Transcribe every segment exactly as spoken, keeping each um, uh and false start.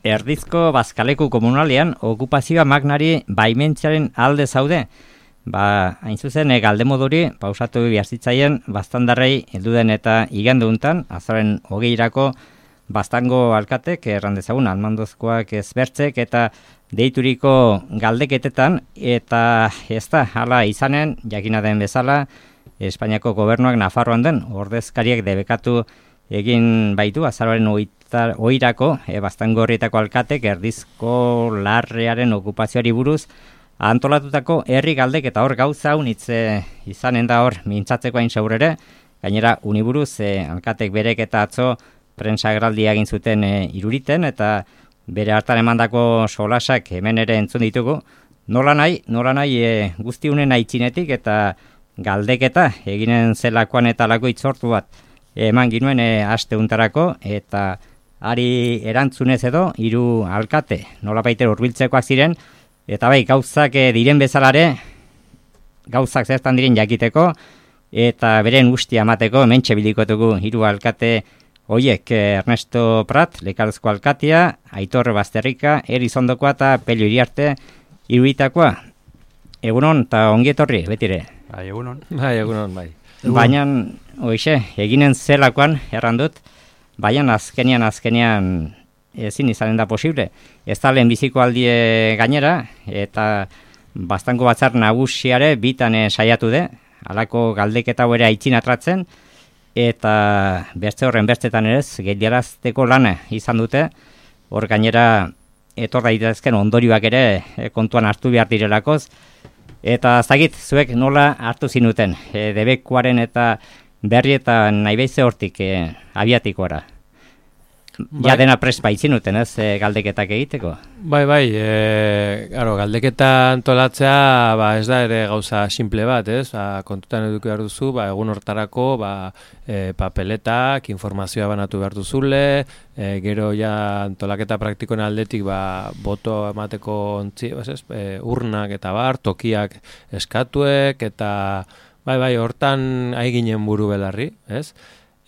Erdizko Bazkaleku komunalean okupazioa magnari baimentziaren alde zaude. Ba, hain zuzen, e, galdemoduri pausatu biazitzaien baztandarrei helduden eta igandu untan, azaren hogeirako baztango alkatek, errandezagun, almandozkoak ezbertzek eta deituriko galdeketetan, eta ez da, hala izanen, jakina den bezala, Espainiako gobernuak Nafarroan den ordezkariak debekatu egin baitu, azararen oirako, e, baztango horrietako alkatek, erdizko larrearen okupazioari buruz, antolatutako herri galdek eta hor gauza unitze izanen da hor mintzatzeko hain zaurere, gainera uniburuz e, alkatek berek eta atzo prentsagraldia egin zuten e, iruriten eta bere hartan emandako solasak hemen ere entzun ditugu, nola nahi, nola nahi e, guzti unen aitzinetik eta galdeketa eginen zelakoan eta lako itzortu bat eman ginuen e, aste untarako eta ari erantzunez edo hiru alkate nola baiter hurbiltzekoak ziren. Eta bai, gauzak e, diren bezalare, gauzak zertan diren jakiteko, eta beren ustia amateko, mentxe bilikotugu hiru alkate hoiek, Ernesto Prat, Lekarozko alkatia, Aitor Bazterrika, Erizondokoa eta Pelio Iriarte iruditakoa. Egunon eta ongietorri, betire. Bai, egunon. Bai, egunon, bai. Baina, hoixe, eginen zelakoan, errandut, baina azkenian, azkenian, ezin izanen da posible. Ez da lehenbiziko aldie gainera, eta baztango batzar nagusiare bitan e, saiatu de, halako galdeketa ere aitzin atratzen, eta beste horren bestetan ere geldiarazteko lana izan dute, hor gainera etor daitezken ondorioak ere e, kontuan hartu behar direlakoz, eta zagit, zuek nola hartu zinuten, e, debekuaren eta berri eta nahi behize hortik e, abiatikora. Ja dena prest baitzinuten, ez, e, galdeketak egiteko? Bai, bai, e, claro, galdeketa antolatzea ba, ez da ere gauza simple bat, ez? Ba, kontutan eduki behar duzu, ba, egun hortarako ba, e, papeletak, informazioa banatu behar duzule, e, gero ja antolaketa praktikoen aldetik ba, boto emateko ontzi, ez, e, urnak eta bar, tokiak eskatuek, eta bai, bai, hortan ari ginen buru belarri, ez?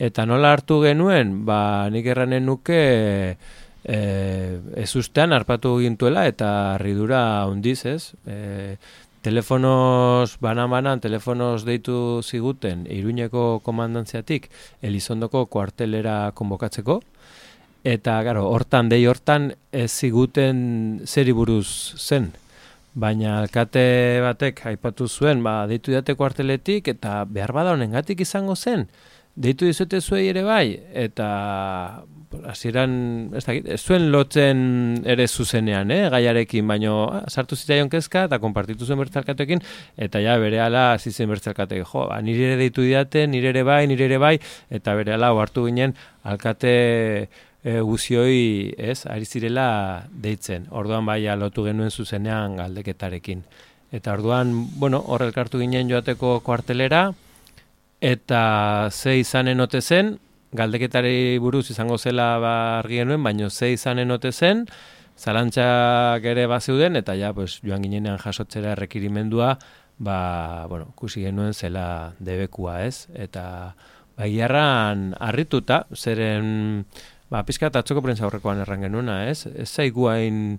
Eta nola hartu genuen, ba, nik erranen nuke e, ez ustean harpatu gintuela eta harridura hondiz, ez? E, telefonos, banan-banan, telefonos deitu ziguten Iruñeko komandantziatik Elizondoko kuartelera konbokatzeko. Eta, garo, hortan, dei hortan ez ziguten zeri buruz zen. Baina alkate batek aipatu zuen, ba, deitu date kuarteletik eta behar bada honengatik izango zen. Deitu dizute zuei ere bai, eta hasieran ez dakit, ez zuen lotzen ere zuzenean, eh, gaiarekin, baino ah, sartu zitzaion kezka eta konpartitu zuen bertzalkatekin, eta ja berehala hasi zen bertzalkatek, jo, ba, nire ere deitu didate, nire ere bai, nire ere bai, eta berehala hartu ginen alkate e, guzioi, ez, ari zirela deitzen. Orduan bai lotu genuen zuzenean galdeketarekin. Eta orduan, bueno, hor elkartu ginen joateko kuartelera, eta ze izanen ote zen, galdeketari buruz izango zela ba argi genuen, baino ze izanen ote zen, zalantzak ere bazeuden, eta ja, pues, joan ginenean jasotzera errekirimendua, ba, bueno, kusi genuen zela debekua, ez? Eta bagiarran harrituta, zeren, ba, pizkat atzoko prentza horrekoan erran genuena, ez? Ez zaigu hain,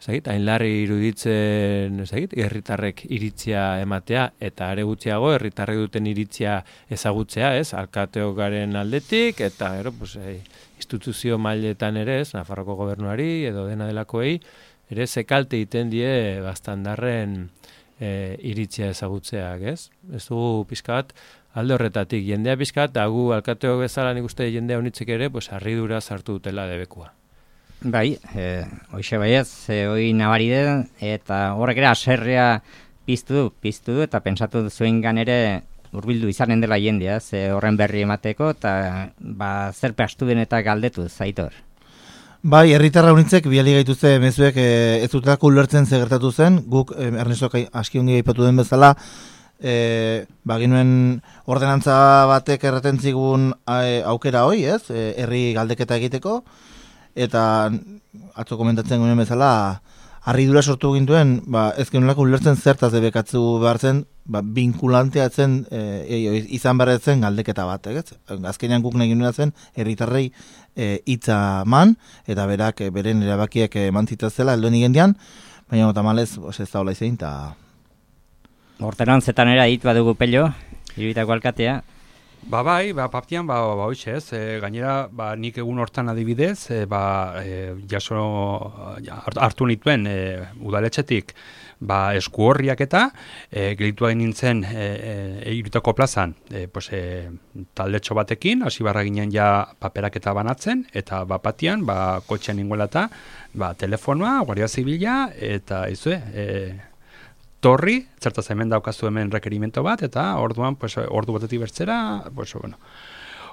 zait, hain larri iruditzen, zait, herritarrek iritzia ematea, eta are gutxiago herritarrek duten iritzia ezagutzea, ez? Alkateok garen aldetik, eta ero, pues, eh, instituzio mailetan ere, ez, Nafarroko gobernuari edo dena delakoei, ere zekalte egiten die baztandarren e, iritzia ezagutzeak, ez? Ez dugu pizka bat alde horretatik, jendea pizka bat, agu alkateok bezala nik uste jendea unitzek ere, pues, harridura sartu dutela debekua. Bai, e, hoxe baiez, e, hoi nabari den, eta horrek ere aserrea piztu du, piztu du, eta pensatu zuengan ere hurbildu izanen dela jendea, ze horren berri emateko, eta ba, zer pastu den eta galdetu, Aitor. Bai, herritarra unitzek biali gaituzte mezuek e, ez dutelako ulertzen ze gertatu zen, guk e, Ernestok aski ongi aipatu den bezala, e, baginuen ordenantza batek erraten zigun e, aukera hoi, ez, e, herri galdeketa egiteko, eta atzo komentatzen guen bezala harridura sortu gintuen, ba, ez genuelako ulertzen zertaz debekatzu behar zen ba, binkulantea zen e, izan behar zen galdeketa bat, ez? Azkenean guk nahi genuen zen herritarrei hitza e, man, eta berak e, beren erabakiek eman zitazela elduen igendian, baina tamalez ez da hola izan, eta... Ordenantzetan era ditu badugu Pello, Irubitako alkatea. Ba bai, ba paptian ba ba hoize, ez? E, gainera ba nik egun hortan adibidez, e, ba e, jaso ja, hartu nituen e, udaletxetik ba eskuorriak eta e, gelitu egin nintzen e, e, Irubitako plazan, e, pues e, taldetxo batekin hasi barra ginen ja paperaketa banatzen eta ba patian ba kotxean ningoela eta ba telefonoa, Guardia Zibila eta izue, e, torri, zertaz hemen daukazu hemen rekerimento bat, eta orduan, pues, ordu batetik bertzera, pues, bueno,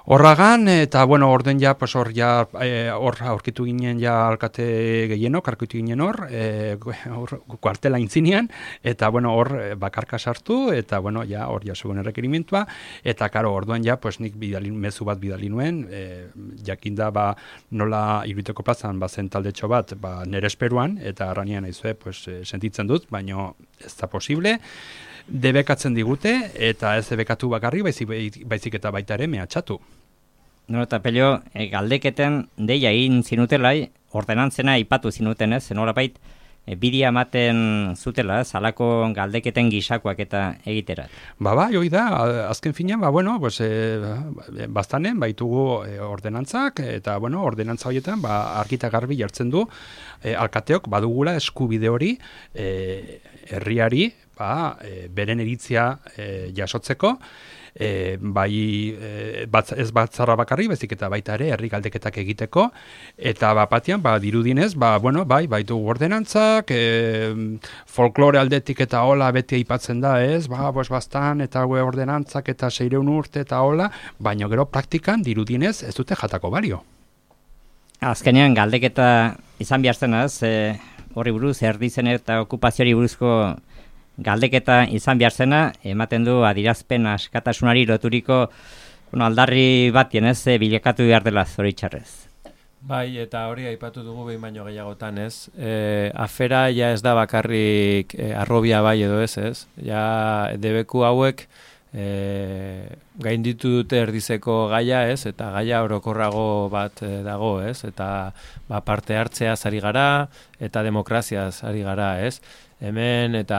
horragan, eta, bueno, orden ja, pues, hor, ja, hor, e, aurkitu ginen ja alkate gehienok, aurkitu ginen hor, e, hor, kuartela intzinean, eta, bueno, hor, bakarka sartu, eta, bueno, ja, hor, ja, zuen errekerimentua, eta, karo, orduan ja, pues, nik bidali, mezu bat bidali nuen, e, jakinda, ba, nola Irubiteko plazan, ba, zen taldetxo bat, ba, nere esperuan, eta arranian aizue, pues, sentitzen dut, baino ez da posible, debekatzen digute, eta ez debekatu bakarri, baizik, baizik eta baita ere mehatxatu. No, eta Pello, e, galdeketen deia egin zinutelai, ordenantzena ipatu zinuten ez, zenolapait, e, bidia ematen zutela, ez, halako galdeketen gisakoak eta egiterat. Ba, bai, hoi da, azken finean, ba, bueno, pues, e, bastanen, baitugu e, ordenantzak, eta, bueno, ordenantza horietan, ba, argita garbi jartzen du, e, alkateok badugula eskubide hori, e, herriari, ba, e, beren iritzia e, jasotzeko, E, bai e, batz, ez batzarra bakarri, bezik eta baita ere herri galdeketak egiteko, eta bapatian, ba, dirudinez, ba, bueno, bai, baitu ordenantzak, e, folklore aldetik eta hola beti aipatzen da, ez, ba, bos bastan, eta gue ordenantzak eta seireun urte eta hola, baina gero praktikan dirudinez ez dute jatako balio. Azkenean galdeketa izan behar zen, ez, e, horri buruz, erdizen eta okupazioari buruzko galdeketa izan behar zena, ematen du adirazpen askatasunari loturiko bueno, aldarri batien ez, bilakatu behar dela zoritxarrez. Bai, eta hori aipatu dugu behin baino gehiagotan ez. E, afera ja ez da bakarrik e, arrobia bai edo ez ez. Ja debeku hauek e, gainditu dute erdizeko gaia ez, eta gaia orokorrago bat e, dago ez, eta ba, parte hartzeaz ari gara, eta demokraziaz ari gara ez. Hemen eta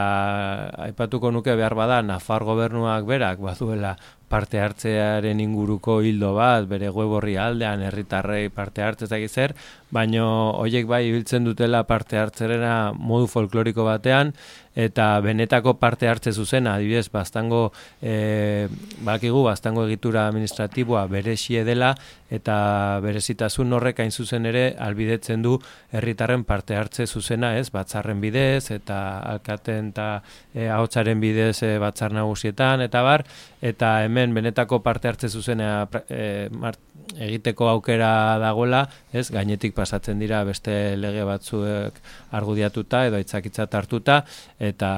aipatuko nuke behar bada Nafar gobernuak berak baduela parte hartzearen inguruko hildo bat, bere web orri aldean herritarrei parte hartzezak zer, baino hoiek bai ibiltzen dutela parte hartzerena modu folkloriko batean, eta benetako parte hartze zuzena, adibidez, bastango, e, bakigu, bastango egitura administratiboa berezie dela, eta berezitasun horrek hain zuzen ere albidetzen du herritarren parte hartze zuzena, ez, batzarren bidez, eta alkaten eta e, ahotsaren bidez e, batzar nagusietan, eta bar, eta hemen benetako parte hartze zuzena e, mart, egiteko aukera dagoela, ez, gainetik pasatzen dira beste lege batzuek argudiatuta edo hitzakitzat hartuta, eta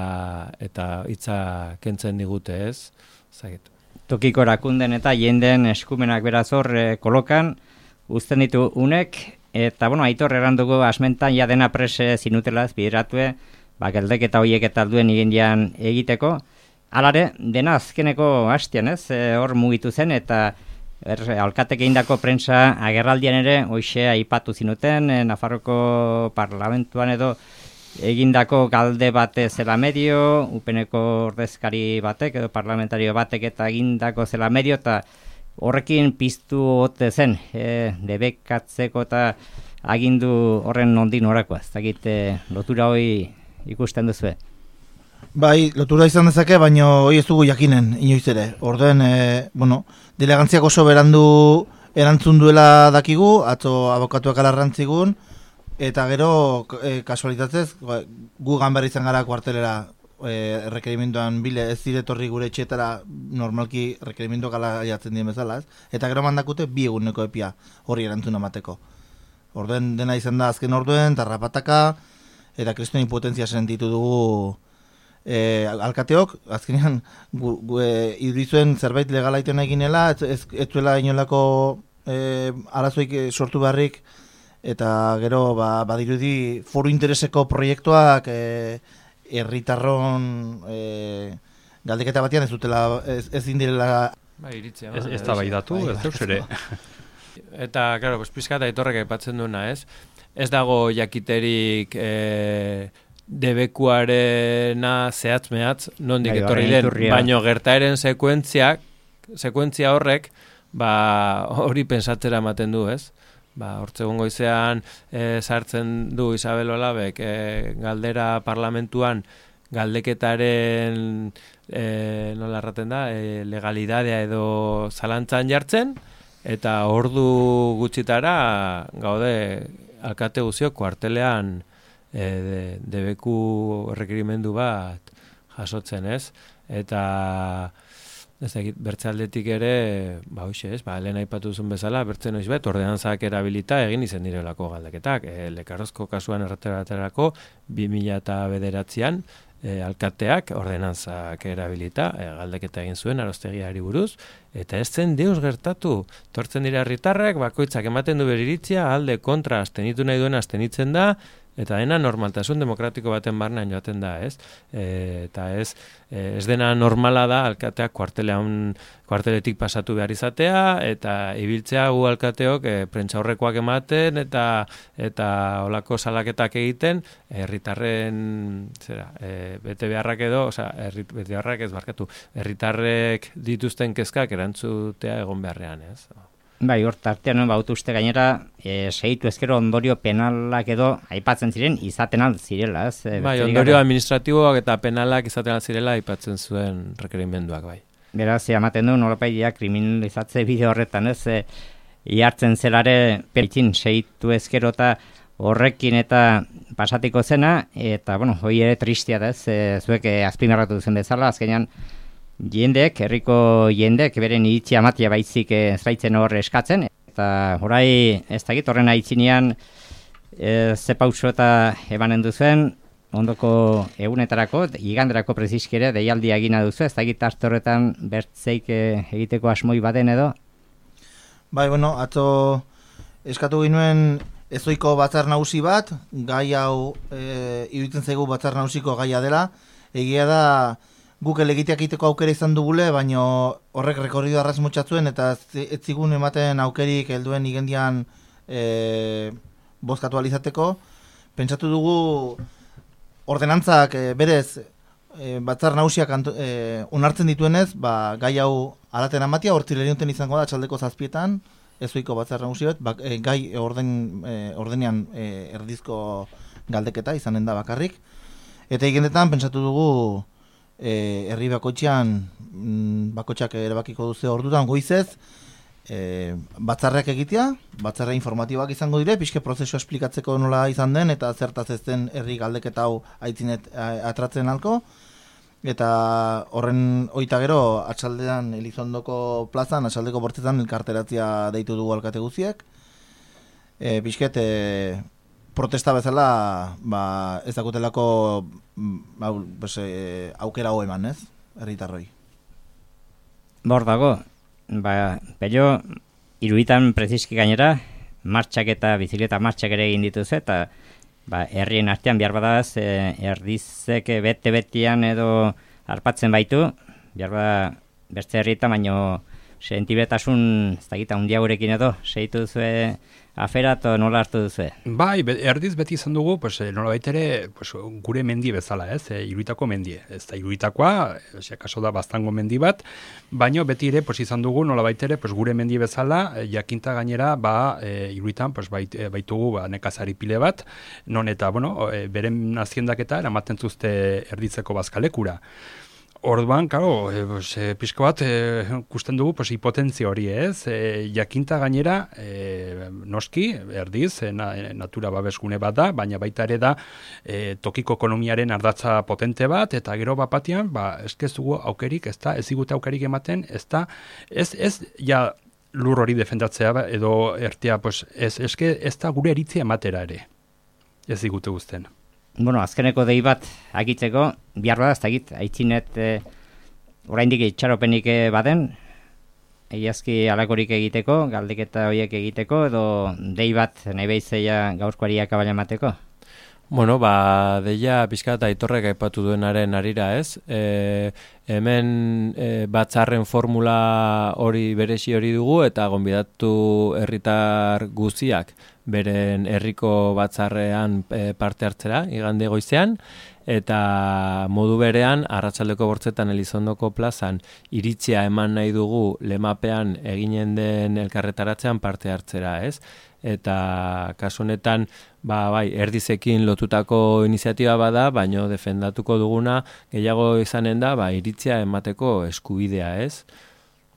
eta hitza kentzen digute, ez? Zagit. Tokiko erakunden eta jenden eskumenak beraz hor e, kolokan uzten ditu unek, eta bueno, Aitor errandugu asmentan ja dena prese zinutelaz bideratue, ba geldeketa hoiek eta alduen igendian egiteko. Halare, dena azkeneko hastian, ez? E, hor mugitu zen eta Er, alkatek egindako prensa agerraldian ere hoxe aipatu zinuten, e, Nafarroko parlamentuan edo egindako galde bate zela medio, upeneko ordezkari batek edo parlamentario batek eta egindako zela medio, eta horrekin piztu ote zen, e, debekatzeko eta agindu horren nondin horakoa, ez dakit e, lotura hoi ikusten duzu. Bai, lotura izan dezake, baina hoi ez dugu jakinen, inoiz ere. Orduen, e, bueno, delegantziak oso berandu erantzun duela dakigu, atzo abokatuak alarrantzigun, eta gero, e, kasualitatez, gu ganber izan gara kuartelera e, rekerimentoan bile, ez diretorri gure etxetara normalki rekerimentoak ala jatzen dien bezala, ez? Eta gero mandakute bi eguneko epia horri erantzun amateko. Orduen dena izan da azken orduen, tarrapataka, eta kristuen impotentzia sentitu dugu E, alkateok, azkenean gu, gu, e, idurizuen zerbait legala iten eginela, ez, ez, ez duela inolako e, arazoik sortu beharrik, eta gero ba, badirudi foru intereseko proiektuak e, herritarron e, galdeketa batean ez dutela, ez, ez indirela... Ba, iritzia. Ez, ez da bai datu, ez deus ere. Eta, claro, pues, pizkat aitorrek aipatzen duena, ez? Ez dago jakiterik e, debekuarena zehatz mehatz, nondik Bai, etorri horren den, iturria. baino gertaeren sekuentziak, sekuentzia horrek, ba, hori pensatzera ematen du, ez? Ba, hortzegun goizean e, sartzen du Isabel Olabek e, galdera parlamentuan galdeketaren e, nola erraten da, e, legalidadea edo zalantzan jartzen, eta ordu gutxitara gaude alkate guzio kuartelean e, de, debeku errekerimendu bat jasotzen, ez? Eta ez dakit, bertze aldetik ere, ba hoxe ez, ba, lehen aipatu zuen bezala, bertze noiz bet, ordenantzak erabilita egin izen direlako galdeketak. E, Lekarrozko kasuan errateraterako, bi mila bederatzian, e, alkateak ordenantzak erabilita, e, galdeketa egin zuen arostegiari buruz, eta ez zen deus gertatu. Tortzen dira herritarrek, bakoitzak ematen du beriritzia, alde kontra astenitu nahi duen astenitzen da, eta dena normaltasun demokratiko baten barnean joaten da, ez? E, eta ez, e, ez dena normala da alkateak kuartelean, kuarteletik pasatu behar izatea, eta ibiltzea gu alkateok e, prentsaurrekoak ematen, eta eta olako salaketak egiten, herritarren zera, e, bete beharrak edo, osea, herri, bete beharrak ez barkatu, herritarrek dituzten kezkak erantzutea egon beharrean, ez? Bai, hor tartean baut uste gainera, e, segitu ezkero ondorio penalak edo aipatzen ziren izaten al zirela, ez? E, Bai, besterik ondorio gabe. administratiboak eta penalak izaten al zirela aipatzen zuen rekerimenduak, bai. Beraz, ematen du nolapaidia kriminalizatze bide horretan, ez? E, ihartzen zelare peritzin segitu ezkero eta horrekin eta pasatiko zena, eta, bueno, hoi ere tristia da, ez? E, zuek e, azpimarratu duzen bezala, azkenean, jendek, herriko jendek, beren iritzia matia baizik ez baitzen hor eskatzen, eta horai ez dakit horren aitzinean e, ze pauso eta emanen duzuen, ondoko egunetarako, iganderako preziskere deialdia egina duzu, ez dakit arte horretan bertzeik e, egiteko asmoi baden edo? Bai, bueno, atzo eskatu ginuen ezoiko batzar nagusi bat, gai hau e, iruditzen zaigu batzar nagusiko gaia dela, egia da guk elegiteak egiteko aukera izan dugule, baino horrek rekorrido arraz mutxatzuen, eta ez zigun ematen aukerik helduen igendian e, bozkatu alizateko. Pentsatu dugu ordenantzak e, berez e, batzar nagusiak e, onartzen dituenez, ba, gai hau alaten amatia, hortzilerionten izango da, txaldeko zazpietan, ezoiko batzar nagusi bat, ba, e, gai orden, e, ordenean e, erdizko galdeketa izanen da bakarrik. Eta igendetan pentsatu dugu E, herri bakoitzean mm, bakoitzak erabakiko duze ordutan goizez e, batzarrak egitea, batzarra informatiboak izango dire, pixke prozesua esplikatzeko nola izan den eta zertaz ez den herri galdeketa hau aitzinet atratzen halko, eta horren oita gero atxaldean Elizondoko plazan, atxaldeko bortzetan elkarteratzia deitu dugu alkate guziek, e, pixket e, protesta bezala, ba, ez dakutelako ba, pues, e, aukera ho eman, ez? Herritarroi. Bor dago, ba, pello, iruditan preziski gainera, martxak eta bizikleta martxak ere egin dituz, eta ba, herrien artean behar badaz, e, erdizek bete-betian edo harpatzen baitu, behar bada beste herrietan, baino sentibetasun, ez dakita, hundiagurekin edo, segitu duzue afera eta nola hartu duzue? Bai, be, erdiz beti izan dugu, pues, nola baitere, pues, gure mendi bezala, ez, e, iruitako mendie. Ez da iruitakoa, e, kaso da bastango mendi bat, baino beti ere, pues, izan dugu, nola baitere, pues, gure mendi bezala, e, jakinta gainera, ba, e, iruitan, pues, bait, e, baitugu, ba, nekazari pile bat, non eta, bueno, e, beren naziendaketa, eramaten zuzte erditzeko bazkalekura. Orduan, claro, e, pues, e, pixko bat e, kusten dugu pues, hipotentzia hori, ez? E, jakinta gainera, e, noski, erdiz, e, na, e, natura babesgune bat da, baina baita ere da e, tokiko ekonomiaren ardatza potente bat, eta gero bat batean, ba, ez dugu aukerik, ez da, ez digute aukerik ematen, ez da, ez, ez, ja, lur hori defendatzea edo ertea, pues, ez, eske, ez da gure eritzia ematera ere, ez digute guzten. Bueno, azkeneko dei bat agitzeko, bihar bada, ez dakit, aitzinet e, oraindik itxaropenik baden, egiazki alakorik egiteko, galdeketa horiek egiteko, edo dei bat nahi behitzeia gaurkoari akabaila emateko? Bueno, ba, deia pixka eta Aitorrek aipatu duenaren arira, ez? E, hemen e, batzarren formula hori beresi hori dugu eta gonbidatu herritar guztiak beren herriko batzarrean e, parte hartzera, igande goizean, eta modu berean arratsaldeko bortzetan Elizondoko plazan iritzia eman nahi dugu lemapean eginen den elkarretaratzean parte hartzera, ez? Eta kasu honetan ba, bai, erdizekin lotutako iniziatiba bada, baino defendatuko duguna gehiago izanen da, ba, iritzia emateko eskubidea, ez?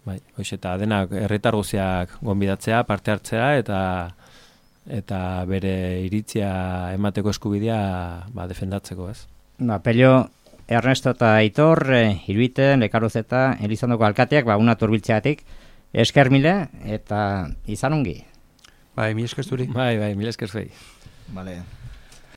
Bai, hoxe, eta denak herritar guztiak gonbidatzea, parte hartzea eta eta bere iritzia emateko eskubidea ba, defendatzeko, ez? Ba, Pello, Ernesto eta Aitor, eh, Iruiten, Lekaruzeta, Elizondoko alkateak, ba, una turbiltzeatik, esker mile eta izan ongi. Bai, mi esker zuri. Bai, bai, mil esker zuei. Vale.